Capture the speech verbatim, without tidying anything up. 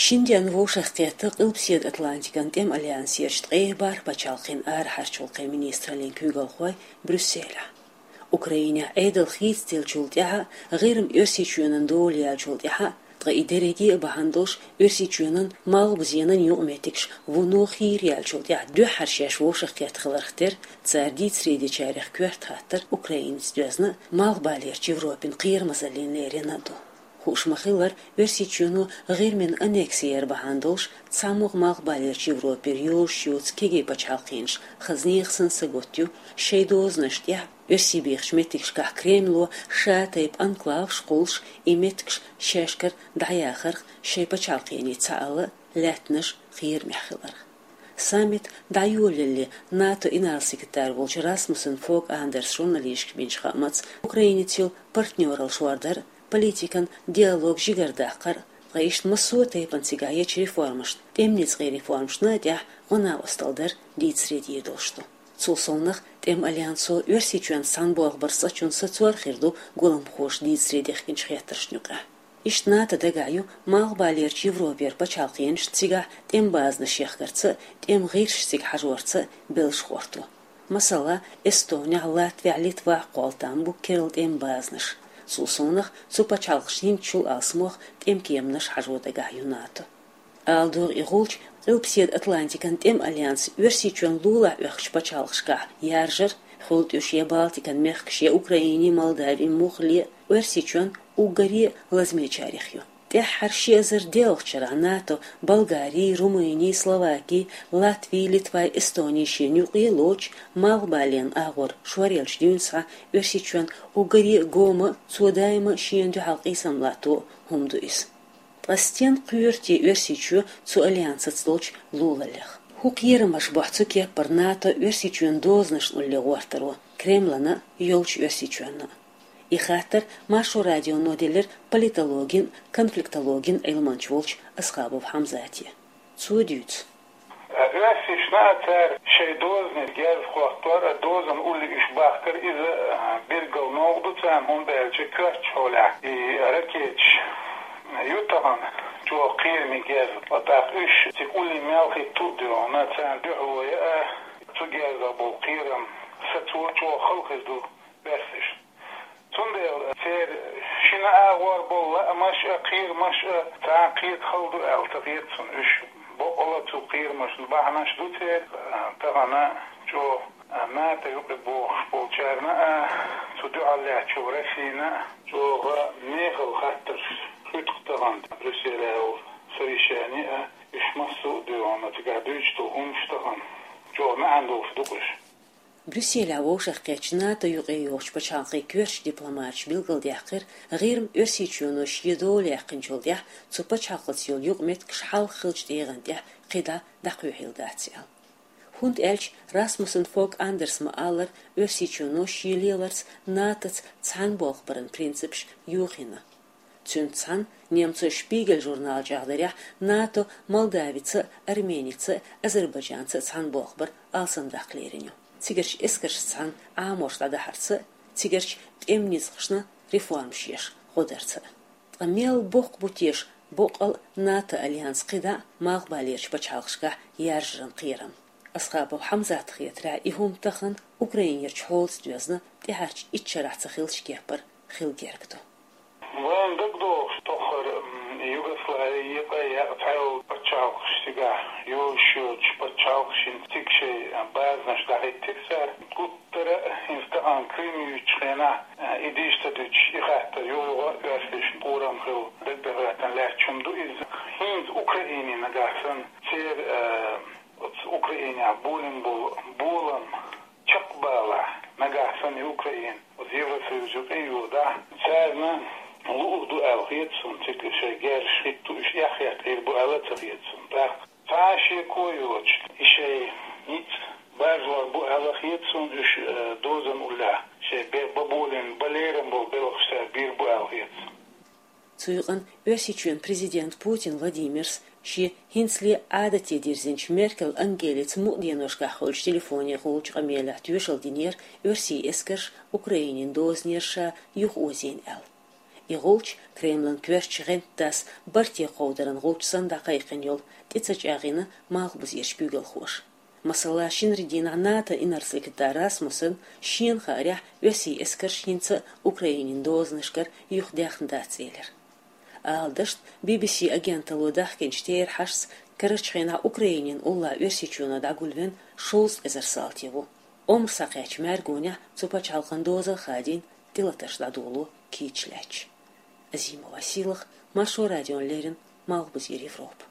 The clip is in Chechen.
Шин денна вовшахкхетта Къилбаседа Атлантикан тӀема альянсерчу ткъе бархӀ пачхьалкхан арахьарчу гӀуллакхийн министраллин куьйгалхой Брюсселехь. Украинехь Ӏедал хийцаделлачул тӀаьхьа, ГӀирма Оьрсийчоьнан дола яьллачул тӀаьхьа, ткъа и дерриге а бахьана долуш Оьрсийчоьнан малхбузенан юкъаметтигаш вуно хийра яьллачул тӀаьхьа дуьххьара шаьш вовшахкхетта хиларх терра, цара дийцаре дечарех коьрта хаттар Украинаца доьзна а, Малхбалерчу Европин кхерамазаллина лерина а ду. Хууш ма-хиллара, Оьрсийчоьно ГӀирмина аннекси яр бахьана долуш, цхьамогӀа Малхбалерчу Европера йозуш йоцу кегий пачхьалкхаш хаза нехан санна сагатта ю шайн дозанаш тӀехь, оьрсий бехачу меттигашкахь Кремло ша тайпа анклаваш кхуллуш, и меттигаш шаьшкара дӀаяхарх шайн пачхьалкхене цхьаалла лаьттанаш кхерамехь хиларх. Саммит дӀайолалале, НАТО-н инарла-секретарь волчу Расмуссен Фог Андерса журналисташка бинчу хаамца, Украинаца йолу партнералла шордар, политикан диалог жигардаккхар, ткъа иштта массо а тайпана цигахь ечу реформашна, тӀеман ницкъийн реформашна а тӀехь гӀо-накъосталла дар дийцаре дийр долуш ду. Цул совнах, тӀеман альянсо Оьрсийчоьнца цхьаьна болх барца цӀа чунна сацор хир ду гуламхоша дийцаре дехкинчу хеттаршна юкъахь. Иштта НАТО дагахь ю Малхбалерчу Европера пачхьалкхенаш цигахь тӀеман базанаш яхкарца а, тӀеман гӀирсаш цига хьажорца а беллаш гӀорто. Масала, Эстонехь, Латвехь, Литвахь кхолла там бу керла тӀеман базанаш. Цул совнах, цу пачхьалкхашна хӀинцачул алсамох тӀеман кеманаш хьажо дагахь ю НАТО. Ала догӀу, и гӀулч Къилбаседа Атлантикан тӀеман альянс Оьрсийчоьнна лулахь оьхучу пачхьалкхашкахь яржар, хуьлда уьш я Балтикан мехкаш, я Украинин, Молдавин, муххале а, Оьрсийчоьнна уггаре а лазамечарех ю. ТӀаьххьара ши эзар доьалгӀачу шарахь НАТО Болгарин, Румынин, Словакин, Латвин, Литвин, Эстонин шена юкъе а лоцуш, Малхбален агӀор шоръеллачу дуьйна схьа Оьрсийчоьнна уггаре а гома а, цо даима а шена дуьхьал къийсам латто а хӀума ду иза. Ткъа стенна кхоьру те Оьрсийчоь цу альянсаца долчу лулаллех? ХӀун кхерамаш бохьу цу кеппара НАТО Оьрсийчоьнан дозанашна улле гӀортаро, Кремлана а, йолчу Оьрсийчоьнна а? И хаттар Маршо радионо делира политологин а, конфликтологин а Ӏилманча волчу Асхабов Хьамзате. Цо дуьйцу. Оьрсийчоьнна а цара шайн дозанийн герз хӀоттор, а дозанна улле уьш бахкар, иза, а, билггал новкъа ду царна, хӀунда аьлча коьртачу хьолехь и ракеташ ю тахана чӀогӀа кхераме герз. Ткъа тӀаккха уьш цига улле мел хӀитту а дуьйна, царна дуьхьало яа, цу герзах болу кхерам сацо чӀогӀа хала хир ду оьрсашна. Цундела церан шина агӀор болу лаамаш а, кхерамаш а цхьа кхета хала ду аьлла ца хета суна. Уьш бакъалла цу кхерамашна бахьанаш ду церан, а, тахана чӀогӀа, а, НАТО юкъе бохуш болчарна а, цу дуьхьал лаьттачу Россина а чӀогӀа мехала хаттарш хуьтту тахана Брюсселехь йолу совещани а, уьш массо а дуьйна цигахь дуьйцуш долу хӀуманаш тахана чӀогӀа маьӀна долуш ду-кх уьш. Брюсселехь вовшахкхеттачу НАТО юкъе йогӀучу пачхьалкхийн коьртачу дипломаташа билгалдаьккхира, ГӀирма Оьрсийчоьно шен дола яьккхинчул тӀаьхьа цу пачхьалкхаца йолу юкъаметтигаш хьалха хиллачу тӀегӀан тӀехь кхидӀа дӀакхоьхьийла дац аьлла. ХӀунда аьлча Расмуссен Фог Андерса ма-аллара, Оьрсийчоьно шен леларца НАТО-ца цхьаьна болх баран принципаш йохийна. Цуьнца цхьаьна немцойн Шпигель журнала чӀагӀдарехь, НАТО Молдавица а, Арменица а, Азербайджанца а цхьаьна болх бар алсамдаккха лерина ю. Цигарчу эскаршца цхьаьна Ӏаморш дӀадахьарца а, цигарчу тӀеман ницкъашна реформаш еш гӀо дарца а. Ткъа мел боккха бу теша боккъал а НАТО альянс кхидӀа а малхбалерчу пачхьалкхашкахь яржаран кхерам? Асхабов Хьамзатна хетарехь, и хӀума тахана Украинерчу хьолаца доьзна, тӀаьхьарчу итт шарахь ца хиллачу кеппара хила герга ду. Вайна дагадогӀуш тоххара, м, Югослави екъа а яькъа цхьайолу пачхьалкхаш цигахь йолуш йоцучу пачхьалкхашна цига шайн, а, базанаш дӀахӀиттира цара. Гуттара а хӀинца тахана Крым юьйцучу хенахь, а, и дийш ца дуьтуш, и хаттар юха-юха оьрсашна пурам хилла дагадахийтина лаьтташ хӀума ду иза. ХӀинца Украине нагахь санна церан, а, оцу Украинехь болийна болу болам чекхбалахь, нагахь санна и Украина оцу Евросоюз юкъе а йодахь, царна луъур ду аьлла хета суна, цига шайн герзаш хӀитто, уьш эхь хетта Ӏийр бу аьлла а ца хета суна. ТӀаккха цхьа а шеко а йоцуш, и шайн ницкъ баржор бу аьлла хета суна, уьш, э, дозанна уллехь шайн бе-, бан болийна, бан лерам болу белхаш цара бийр бу аьлла хета суна. Цу юкъана Оьрсийчоьнан президент Путин Владимирс шен хӀинцале Ӏадате дирзинчу Меркель Ангелица мукъа деношкахь хуьлучу телефонехула къамелехь тоьшалла динера оьрсийн эскарш Украинин дозанера ша юхаозийна аьлла. И гӀулч Кремлан коьртачу гӀентдас барте кховдаран гӀулч санна дӀакхайкхина йолу тӀе ца чӀагӀйина малхбузерчу куьйгалхоша. Масала, шинарин дийнахь НАТО инарла-секретарь Расмуссен шена хаарехь, оьрсийн эскарш хӀинца а Украинин дозанашкара юхадаьхна дац элира. Ала дашна, Би-Би-Си агенталло дахкинчу терахьашца, карарчу хенахь Украинин уллохь Оьрсийчоьно дӀагулвина шовзткъа эзар салти ву. Омра схьакхаьчначу мӀаьргонехь цу пачхьалкхан доза а хадийна, тӀелатарш дӀадоло кийча лаьтташ. Азимова Сийлаха, Маршо радиона леррина, Малхбузера Европа.